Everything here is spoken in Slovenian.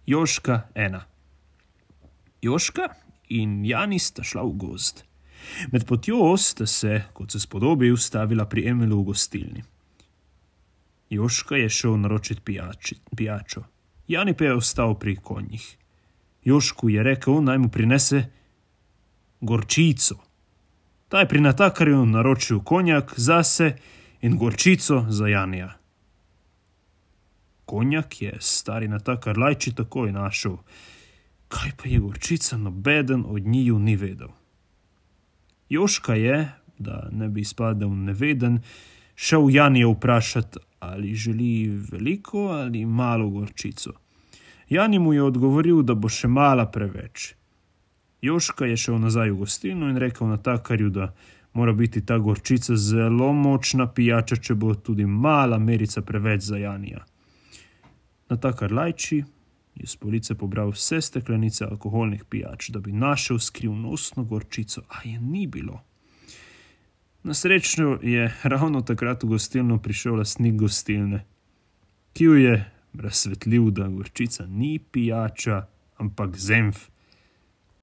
Jožka 1. Jožka in Jani sta šla v gozd. Med potjo sta se, kot se spodobi, ustavila pri Emilu v gostilni. Jožka je šel naročit pijačo. Jani pa je ostal pri konjih. Jožku je rekel, naj mu prinese gorčico. Ta je pri natakarju naročil konjak zase in gorčico za Janija. Konjak je stari natakar Lajči takoj našel. Kaj pa je gorčica, nobeden od njiju ni vedel. Jožka je, da ne bi izpadel neveden, šel Janija vprašati, ali želi veliko ali malo gorčico. Jani mu je odgovoril, da bo še mala preveč. Jožka je šel nazaj v gostilno in rekel natakarju, da mora biti ta gorčica zelo močna pijača, če bo tudi mala merica preveč za Janija. Natakar Lajči je s police pobral vse steklenice alkoholnih pijač, da bi našel skrivnostno gorčico, a je ni bilo. Na srečo je ravno takrat v gostilno prišel lastnik gostilne, ki jo je razsvetlil, da gorčica ni pijača, ampak zenf.